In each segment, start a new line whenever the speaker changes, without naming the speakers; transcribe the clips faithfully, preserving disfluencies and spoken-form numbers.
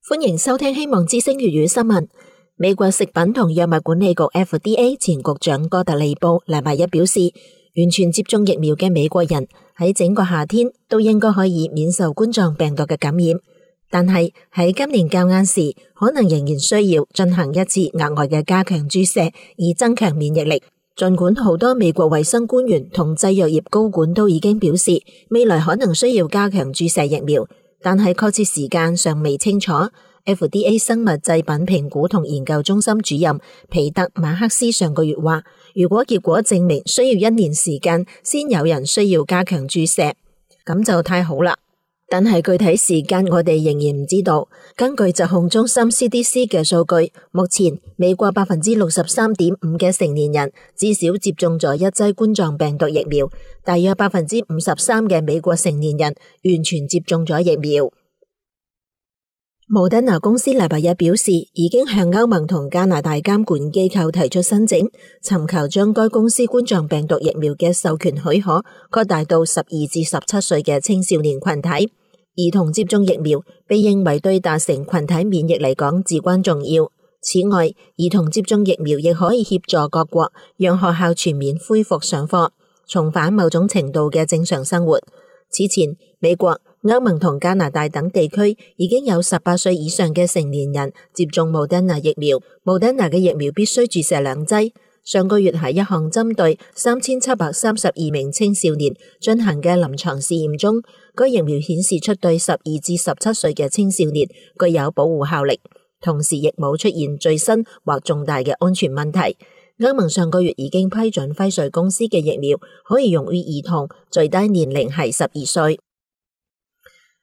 歡迎收聽希望之聲粵語新聞。美國食品同藥物管理局 F D A 前局長哥特利布禮拜一表示，完全接種疫苗嘅美國人喺整個夏天都應該可以免受冠狀病毒嘅感染，但係喺今年較晏時，可能仍然需要進行一次額外嘅加強注射，以增強免疫力。儘管好多美國衛生官員同製藥業高管都已經表示，未來可能需要加強注射疫苗，但係確切時間尚未清楚。F D A 生物製品評估同研究中心主任皮特馬克斯上個月話，如果結果證明需要一年時間先有人需要加強注射，咁就太好啦。但係具體時間我哋仍然唔知道。根據疾控中心 C D C 嘅數據，目前美國百分之六十三點五嘅成年人至少接種咗一劑冠狀病毒疫苗，大約百分之五十三嘅美國成年人完全接種咗疫苗。莫德納公司禮拜一表示，已經向歐盟同加拿大監管機構提出申請，尋求將該公司冠狀病毒疫苗嘅授權許可擴大到十二至十七歲嘅青少年群體。兒童接種疫苗被認為對達成群體免疫嚟講至關重要。此外，兒童接種疫苗亦可以協助各國讓學校全面恢復上課，重返某種程度嘅正常生活。此前，美國、歐盟同加拿大等地區已經有十八歲以上嘅成年人接種莫德納疫苗。莫德納嘅疫苗必須注射兩劑。上個月喺一項針對三千七百三十二名青少年進行嘅臨床試驗中，該疫苗顯示出對十二至十七歲嘅青少年具有保護效力，同時亦冇出現最新或重大嘅安全問題。歐盟上個月已經批准輝瑞公司嘅疫苗可以用於兒童，最低年齡係十二歲。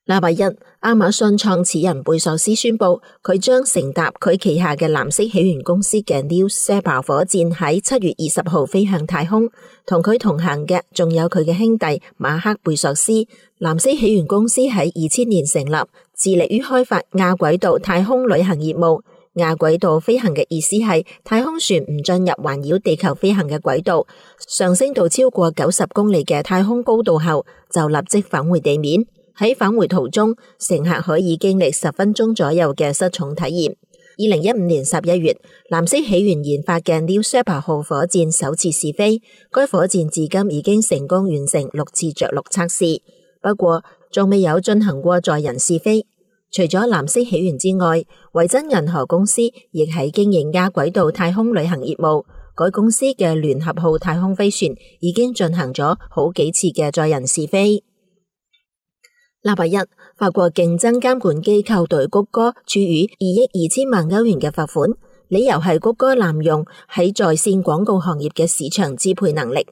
禮拜一，亞馬遜創始人貝索斯宣布，佢將乘搭佢旗下嘅藍色起源公司嘅 New Shepard 火箭喺七月二十號飛向太空。同佢同行嘅仲有佢嘅兄弟馬克貝索斯。藍色起源公司喺二千年成立，致力於開發亞軌道太空旅行業務。亞軌道飛行嘅意思係太空船唔進入環繞地球飛行嘅軌道，上升到超過九十公里嘅太空高度後，就立即返回地面。喺返回途中，乘客可以經歷十分鐘左右嘅失重體驗。二零一五年十一月，藍色起源研發嘅 New Shepard 號火箭首次試飛，該火箭至今已經成功完成六次着陸測試，不過仲未有進行過載人試飛。除咗藍色起源之外，維珍銀河公司亦喺經營亞軌道太空旅行業務。該公司嘅聯合號太空飛船已經進行咗好幾次嘅載人試飛。禮拜一，法國競爭監管機構對谷歌處以二億二千萬歐元嘅罰款，理由係谷歌濫用喺在線廣告行業嘅市場支配能力。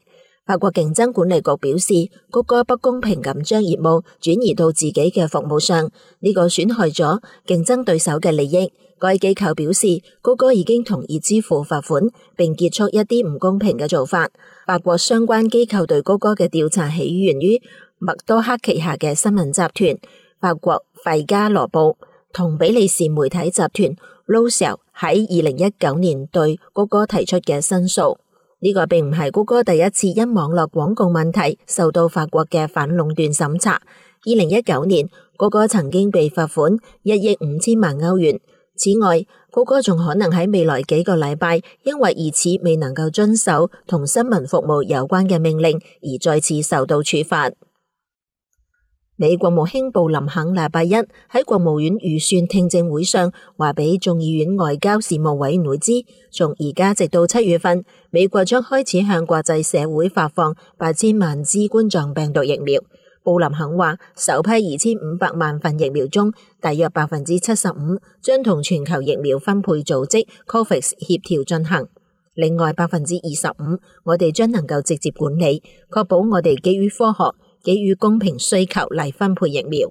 法國競爭管理局表示，谷歌不公平咁將業務轉移到自己嘅服務上，呢個損害咗競爭對手嘅利益。該機構表示，谷歌已經同意支付罰款，並結束一啲唔公平嘅做法。法國相關機構對谷歌嘅調查起源於默多克旗下嘅新聞集團法國費加羅報同比利時媒體集團 L'Oréal 喺二零一九年對谷歌提出嘅申訴。呢個並唔係谷歌第一次因網絡廣告問題受到法國嘅反壟斷審查。二零一九年，谷歌曾經被罰款一億五千萬歐元。此外，谷歌仲可能喺未來幾個禮拜因為疑似未能夠遵守同新聞服務有關嘅命令而再次受到處罰。美國務卿布林肯禮拜一喺國務院預算聽證會上話俾眾議院外交事務委員會知，從而家直到七月份，美國將開始向國際社會發放八千萬支冠狀病毒疫苗。布林肯話，首批二千五百萬份疫苗中，大約百分之七十五將同全球疫苗分配組織 COVAX 協調進行，另外百分之二十五我哋將能夠直接管理，確保我哋基於科學給予公平需求嚟分配疫苗，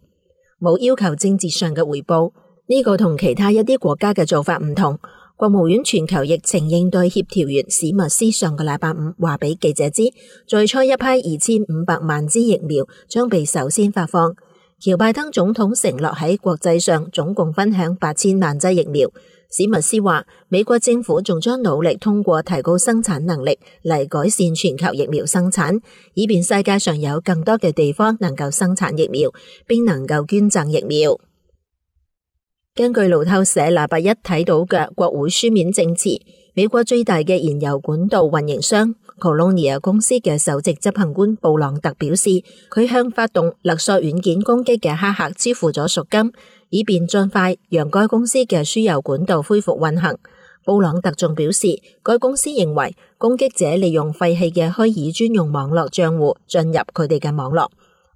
冇要求政治上嘅回報。呢個同其他一啲國家嘅做法唔同。國務院全球疫情應對協調員史密斯上個禮拜五話俾記者知，最初一批二千五百萬支疫苗將被首先發放。喬拜登總統承諾喺國際上總共分享八千萬劑疫苗。史密斯話，美國政府仲將努力通過提高生產能力嚟改善全球疫苗生產，以便世界上有更多嘅地方能夠生產疫苗，並能夠捐贈疫苗。根據路透社禮拜一睇到嘅國會書面證詞，美國最大嘅燃油管道運營商 Colonia 公司嘅首席執行官布朗特表示，佢向發動勒索軟件攻擊嘅黑客支付咗贖金，以便盡快讓該公司嘅輸油管道恢復運行。布朗特仲表示，該公司認為攻擊者利用廢棄嘅虛擬專用網絡賬戶進入佢哋嘅網絡。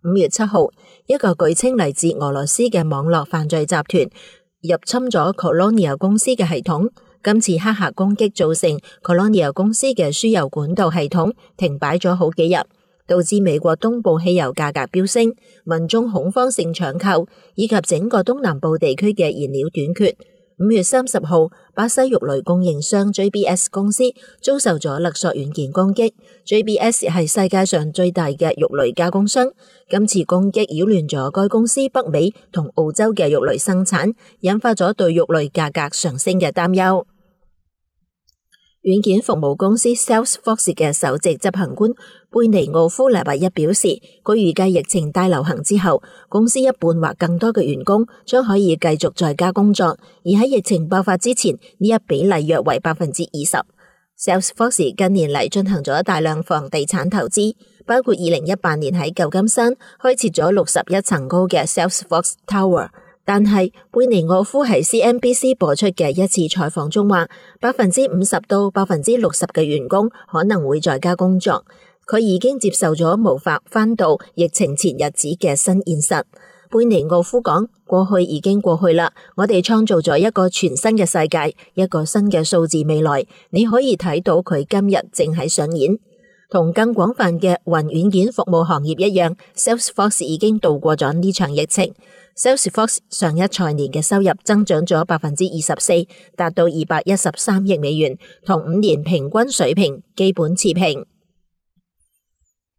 五月七號，一個據稱嚟自俄羅斯嘅網絡犯罪集團入侵咗 Colonia 公司嘅系統。今次黑客攻擊造成 Colonia 公司嘅輸油管道系統停擺咗好幾日，導致美國東部汽油價格飆升，民眾恐慌性搶購，以及整個東南部地區嘅燃料短缺。五月三十號，巴西肉類供應商 J B S 公司遭受咗勒索軟件攻擊。J B S 係世界上最大嘅肉類加工商，今次攻擊擾亂咗該公司北美同澳洲嘅肉類生產，引發咗對肉類價格上升嘅擔憂。軟件服務公司 Salesforce 嘅首席執行官貝尼奧夫禮拜一表示，佢預計疫情大流行之後，公司一半或更多嘅員工將可以繼續在家工作，而喺疫情爆發之前，呢一比例約為百分之二十。Salesforce 近年嚟進行咗大量房地產投資，包括二零一八年喺舊金山開設咗六十一層高嘅 Salesforce Tower。但係貝尼奧夫喺 C N B C 播出嘅一次採訪中話，百分之五十到百分之六十嘅員工可能會在家工作。佢已經接受咗無法返到疫情前日子嘅新現實。貝尼奧夫講：過去已經過去啦，我哋創造咗一個全新嘅世界，一個新嘅數字未來。你可以睇到佢今日正喺上演。同更廣泛嘅雲軟件服務行業一樣 ，Salesforce 已經度過咗呢場疫情。Salesforce 上一財年嘅收入增長咗百分之二十四，達到二百一十三億美元，同五年平均水平基本持平。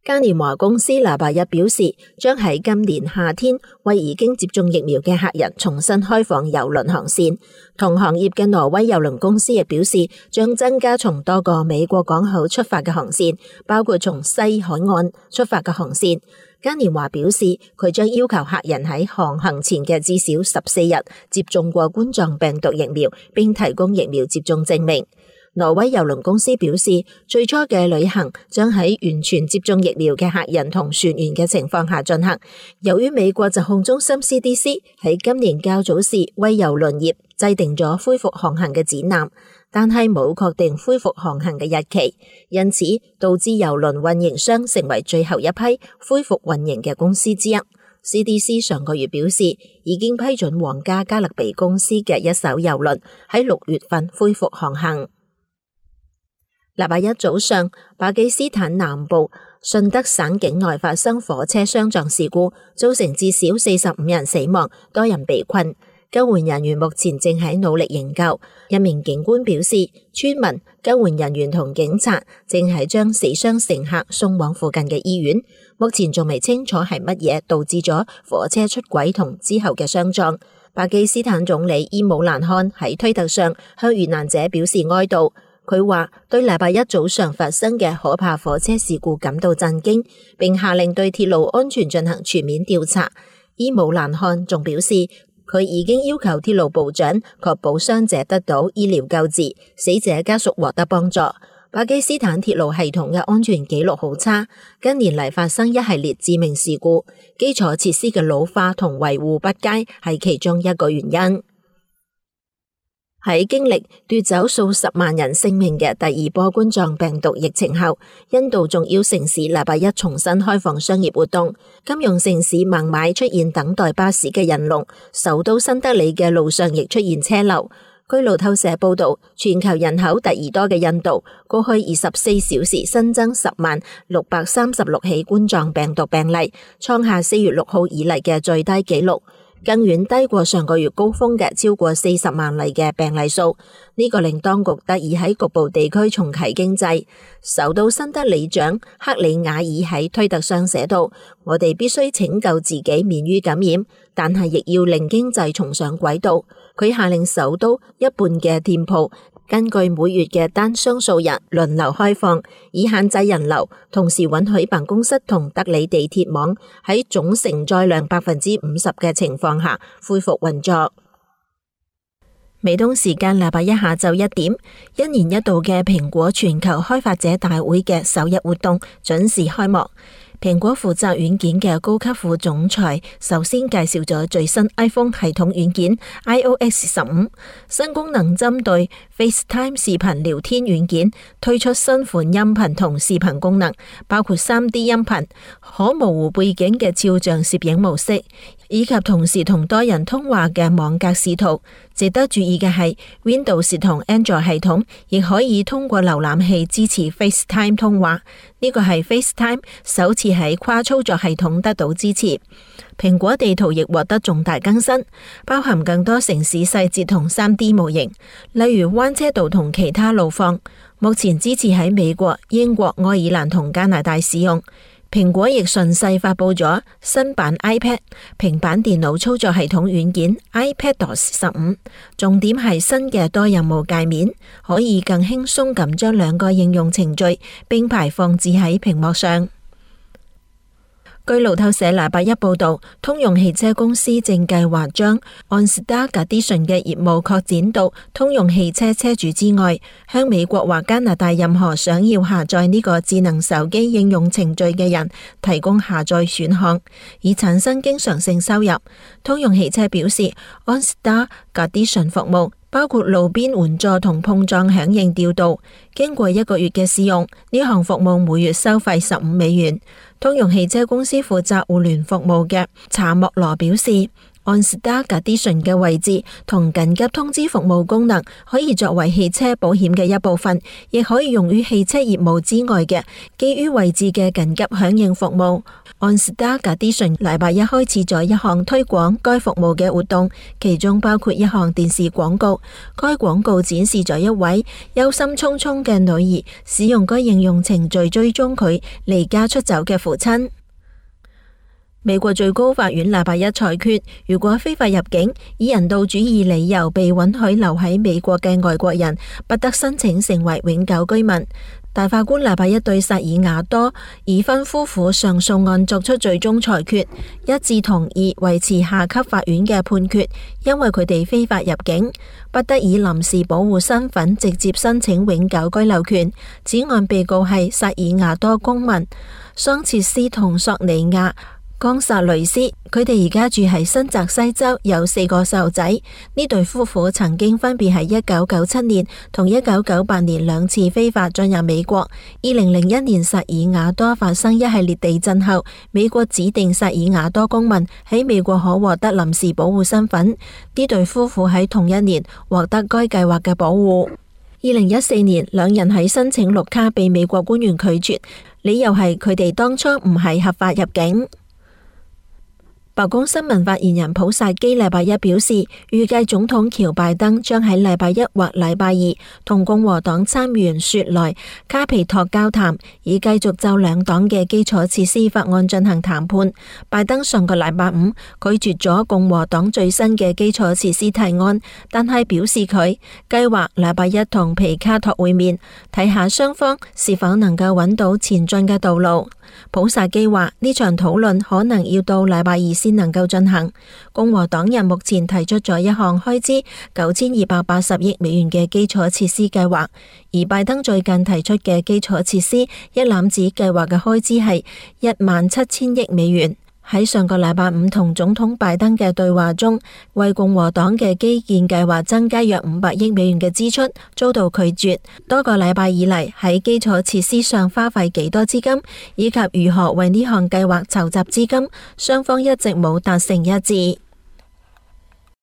嘉年華公司禮拜一表示，將喺今年夏天為已經接種疫苗嘅客人重新開放郵輪航線。同行業嘅挪威郵輪公司亦表示，將增加從多個美國港口出發嘅航線，包括從西海岸出發嘅航線。嘉年華表示，佢將要求客人喺航行前嘅至少十四日接種過冠狀病毒疫苗，並提供疫苗接種證明。挪威郵輪公司表示，最初嘅旅行將喺完全接種疫苗嘅客人同船員嘅情況下進行。由於美國疾控中心 C D C 喺今年較早時為郵輪業制定咗恢復航行嘅指南，但係冇確定恢復航行嘅日期，因此導致郵輪運營商成為最後一批恢復運營嘅公司之一。C D C 上個月表示，已經批准皇家加勒比公司嘅一艘郵輪喺六月份恢復航行。禮拜一早上，巴基斯坦南部順德省境內發生火車相撞事故，造成至少四十五人死亡，多人被困。救援人員目前正喺努力營救。一名警官表示，村民、救援人員同警察正係將死傷乘客送往附近嘅醫院。目前仲未清楚係乜嘢導致咗火車出軌同之後嘅相撞。巴基斯坦總理伊姆蘭汗喺推特上向遇難者表示哀悼。佢話對禮拜一早上發生嘅可怕火車事故感到震驚，並下令對鐵路安全進行全面調查。伊姆蘭汗仲表示，佢已經要求鐵路部長確保傷者得到醫療救治，死者家屬獲得幫助。巴基斯坦鐵路系統嘅安全記錄好差，近年嚟發生一系列致命事故，基礎設施嘅老化同維護不佳係其中一個原因。喺經歷奪走數十萬人性命嘅第二波冠狀病毒疫情後，印度重要城市禮拜一重新開放商業活動，金融城市孟買出現等待巴士嘅人龍，首都新德里嘅路上亦出現車流。據路透社報道，全球人口第二多嘅印度，過去二十四小時新增十萬六百三十六起冠狀病毒病例，創下四月六號以嚟嘅最低紀錄。更遠低過上個月高峰嘅超過四十萬例嘅病例數，呢個令當局得以喺局部地區重啟經濟。首都新德里長克里瓦爾喺推特上寫道：我哋必須拯救自己免於感染，但係亦要令經濟重上軌道。佢下令首都一半嘅店鋪根據每月嘅單雙數日輪流開放，以限制人流，同時允許辦公室同德里地鐵網喺總承載量百分之五十嘅情況下恢復運作。美東時間禮拜一下晝一點，一年一度嘅蘋果全球開發者大會嘅首日活動準時開幕。蘋果負責軟件嘅高級副總裁首先介紹咗最新 iPhone 系統軟件 i O S 十五，新功能針對 FaceTime 視頻聊天軟件推出新款音頻同視頻功能，包括 三 D 音頻、可模糊背景嘅肖像攝影模式，以及同時同多人通話嘅網格視圖。值得注意嘅係 Windows 同 Android 系統亦可以通過瀏覽器支持 FaceTime 通話，呢個係 FaceTime 首次喺跨操作系統得到支持。蘋果地圖亦獲得重大更新，包含更多城市細節同 三 D 模型，例如彎車道同其他路況，目前支持喺美國、英國、愛爾蘭同加拿大使用。蘋果亦順勢發佈咗新版 iPad 平板電腦操作系統軟件 iPadOS 十五，重點係新嘅多任務界面，可以更輕鬆咁將兩個應用程序並排放置喺屏幕上。據路透社禮拜一報道，通用汽車公司正計劃將 OnStar Edition 嘅業務擴展到通用汽車車主之外，向美國或加拿大任何想要下載呢個智能手機應用程序嘅人提供下載選項，以產生經常性收入。通用汽車表示 ，OnStar Edition 服務包括路邊援助同碰撞響應調度。經過一個月嘅試用，呢項服務每月收費十五美元。通用汽車公司負責互聯服務嘅查莫羅表示，OnStar Edition 嘅位置同緊急通知服務功能可以作為汽車保險嘅一部分，亦可以用於汽車業務之外嘅基於位置嘅緊急響應服務。OnStar Edition 禮拜一開始咗一項推廣該服務嘅活動，其中包括一項電視廣告。該廣告展示咗一位憂心忡忡嘅女兒使用該應用程序追蹤佢離家出走嘅父親。美國最高法院禮拜一裁決，如果非法入境以人道主義理由被允許留喺美國嘅外國人，不得申請成為永久居民。大法官禮拜一對薩爾瓦多已婚夫婦上訴案作出最終裁決，一致同意維持下級法院嘅判決，因為佢哋非法入境，不得以臨時保護身份直接申請永久居留權。此案被告係薩爾瓦多公民桑切斯同索尼亞岡薩雷斯，佢哋而家住喺新澤西州，有四個細路仔。呢對夫婦曾經分別喺一九九七年同一九九八年兩次非法進入美國。二零零一年薩爾瓦多發生一系列地震後，美國指定薩爾瓦多公民喺美國可獲得臨時保護身份。呢對夫婦喺同一年獲得該計劃嘅保護。二零一四年，兩人喺申請綠卡被美國官員拒絕，理由係佢哋當初唔係合法入境。白宮新聞發言人普薩基禮拜一表示，預計總統喬拜登將喺禮拜一或禮拜二同共和黨參議員雪萊卡皮托交談，以繼續就兩黨嘅基礎設施法案進行談判。拜登上個禮拜五拒絕咗共和黨最新嘅基礎設施提案，但係表示佢計劃禮拜一同皮卡托會面，睇下雙方是否能夠揾到前進嘅道路。普薩基話呢場討論可能要到禮拜二先能夠進行。共和黨人目前提出咗一項開支九千二百八十億美元嘅基礎設施計劃，而拜登最近提出嘅基礎設施一攬子計劃嘅開支係一萬七千億美元。喺上個禮拜五同總統拜登嘅對話中，為共和黨嘅基建計劃增加約五百億美元嘅支出遭到拒絕。多個禮拜以嚟，喺基礎設施上花費幾多資金，以及如何為呢項計劃籌集資金，雙方一直冇達成一致。